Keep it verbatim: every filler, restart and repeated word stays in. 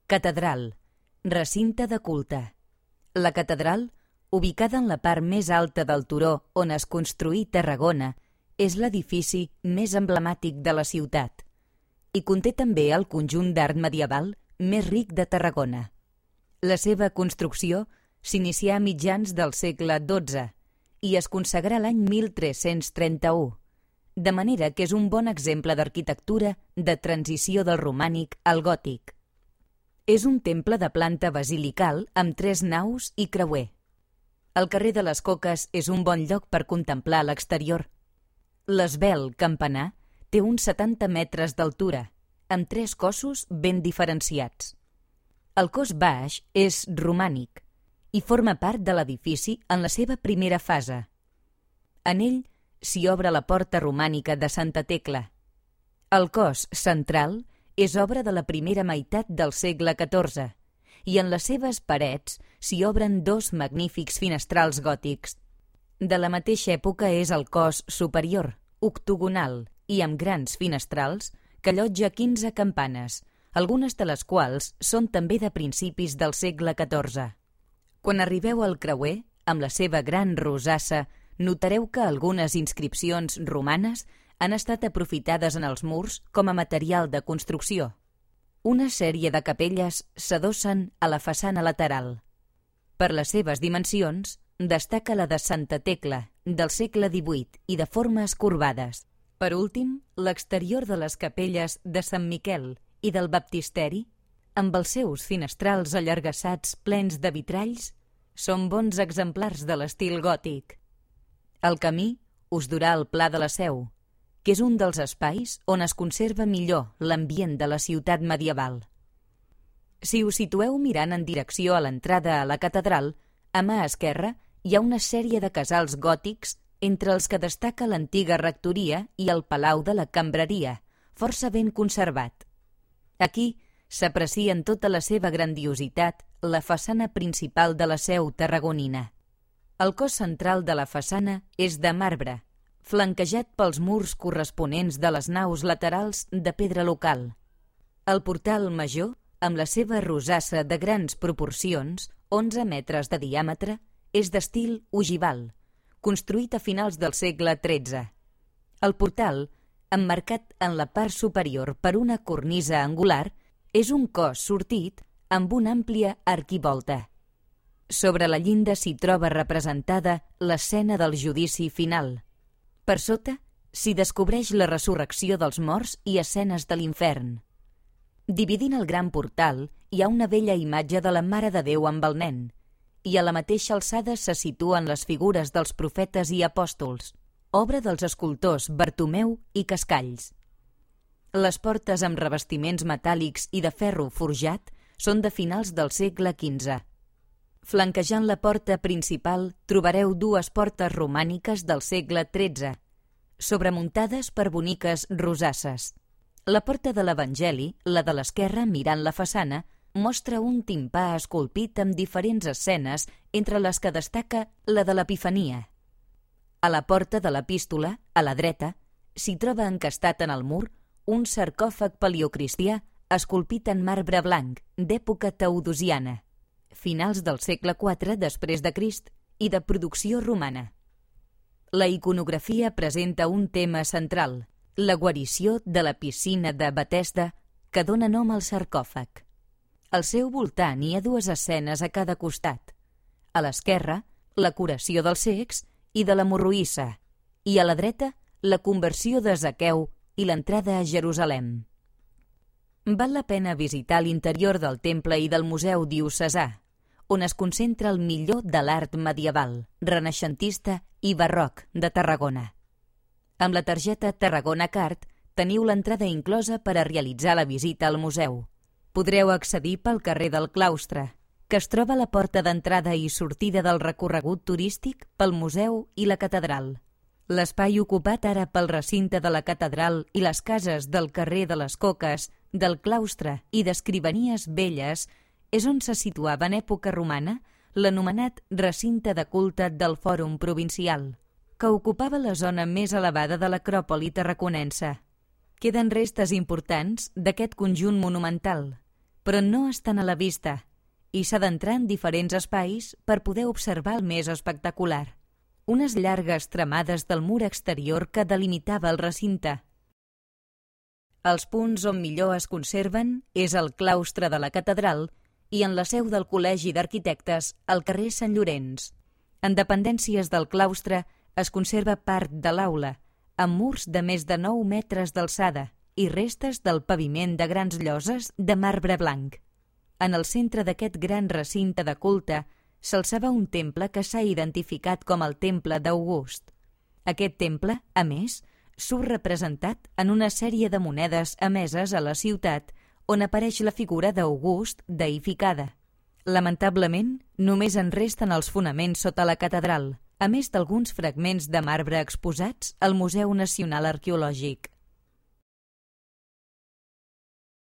Catedral, recinte de culte. La catedral, ubicada en la part més alta del turó on es construí Tarragona, és l'edifici més emblemàtic de la ciutat i conté també el conjunt d'art medieval més ric de Tarragona. La seva construcció s'inicià a mitjans del segle dotze i es consagrà l'any mil tres-cents trenta-u, de manera que és un bon exemple d'arquitectura de transició del romànic al gòtic. És un temple de planta basilical amb tres naus i creuer. El carrer de les Coques és un bon lloc per contemplar l'exterior. L'esvelt campanar té uns setanta metres d'altura, amb tres cossos ben diferenciats. El cos baix és romànic i forma part de l'edifici en la seva primera fase. En ell s'hi obre la porta romànica de Santa Tecla. El cos central és obra de la primera meitat del segle catorze i en les seves parets s'hi obren dos magnífics finestrals gòtics. De la mateixa època és el cos superior, octogonal i amb grans finestrals, que allotja quinze campanes, algunes de les quals són també de principis del segle catorze. Quan arribeu al creuer, amb la seva gran rosassa, notareu que algunes inscripcions romanes han estat aprofitades en els murs com a material de construcció. Una sèrie de capelles s'adossen a la façana lateral. Per les seves dimensions, destaca la de Santa Tecla, del segle divuit i de formes corbades. Per últim, l'exterior de les capelles de Sant Miquel i del baptisteri, amb els seus finestrals allargassats plens de vitralls, són bons exemplars de l'estil gòtic. El camí us durà al Pla de la Seu, que és un dels espais on es conserva millor l'ambient de la ciutat medieval. Si us situeu mirant en direcció a l'entrada a la catedral, a mà esquerra hi ha una sèrie de casals gòtics entre els que destaca l'antiga rectoria i el Palau de la Cambreria, força ben conservat. Aquí s'aprecia en tota la seva grandiositat la façana principal de la seu tarragonina. El cos central de la façana és de marbre, flanquejat pels murs corresponents de les naus laterals de pedra local. El portal major, amb la seva rosassa de grans proporcions, onze metres de diàmetre, és d'estil ogival, construït a finals del segle tretze. El portal, emmarcat en la part superior per una cornisa angular, és un cos sortit amb una àmplia arquivolta. Sobre la llinda s'hi troba representada l'escena del judici final. Per sota s'hi descobreix la resurrecció dels morts i escenes de l'infern. Dividint el gran portal hi ha una bella imatge de la Mare de Déu amb el nen, i a la mateixa alçada se situen les figures dels profetes i apòstols, obra dels escultors Bartomeu i Cascalls. Les portes amb revestiments metàl·lics i de ferro forjat són de finals del segle quinze. Flanquejant la porta principal trobareu dues portes romàniques del segle tretze, sobremuntades per boniques rosasses. La porta de l'Evangeli, la de l'esquerra mirant la façana, mostra un timpà esculpit amb diferents escenes, entre les que destaca la de l'Epifania. A la porta de l'Epístola, a la dreta, s'hi troba encastat en el mur un sarcòfag paleocristià esculpit en marbre blanc, d'època teodosiana, finals del segle quatre després de Crist i de producció romana. La iconografia presenta un tema central, la guarició de la piscina de Betesda, que dóna nom al sarcòfag. Al seu voltant hi ha dues escenes a cada costat. A l'esquerra, la curació dels cecs i de la morroïssa, i a la dreta, la conversió de Zaqueu i l'entrada a Jerusalem. Val la pena visitar l'interior del temple i del Museu Diocesà, on es concentra el millor de l'art medieval, renaixentista i barroc de Tarragona. Amb la targeta Tarragona Card teniu l'entrada inclosa per a realitzar la visita al museu. Podreu accedir pel carrer del Claustre, que es troba a la porta d'entrada i sortida del recorregut turístic pel museu i la catedral. L'espai ocupat ara pel recinte de la catedral i les cases del carrer de les Coques, del Claustre i d'Escrivanies Velles és on se situava en època romana l'anomenat recinte de culte del Fòrum Provincial, que ocupava la zona més elevada de l'acròpoli tarraconense. Queden restes importants d'aquest conjunt monumental, però no estan a la vista i s'ha d'entrar en diferents espais per poder observar el més espectacular, unes llargues tramades del mur exterior que delimitava el recinte. Els punts on millor es conserven és el claustre de la catedral i en la seu del Col·legi d'Arquitectes al carrer Sant Llorenç. En dependències del claustre es conserva part de l'aula, amb murs de més de nou metres d'alçada i restes del paviment de grans lloses de marbre blanc. En el centre d'aquest gran recinte de culte s'alçava un temple que s'ha identificat com el Temple d'August. Aquest temple, a més, surt representat en una sèrie de monedes emeses a la ciutat on apareix la figura d'August deificada. Lamentablement, només en resten els fonaments sota la catedral, a més d'alguns fragments de marbre exposats al Museu Nacional Arqueològic.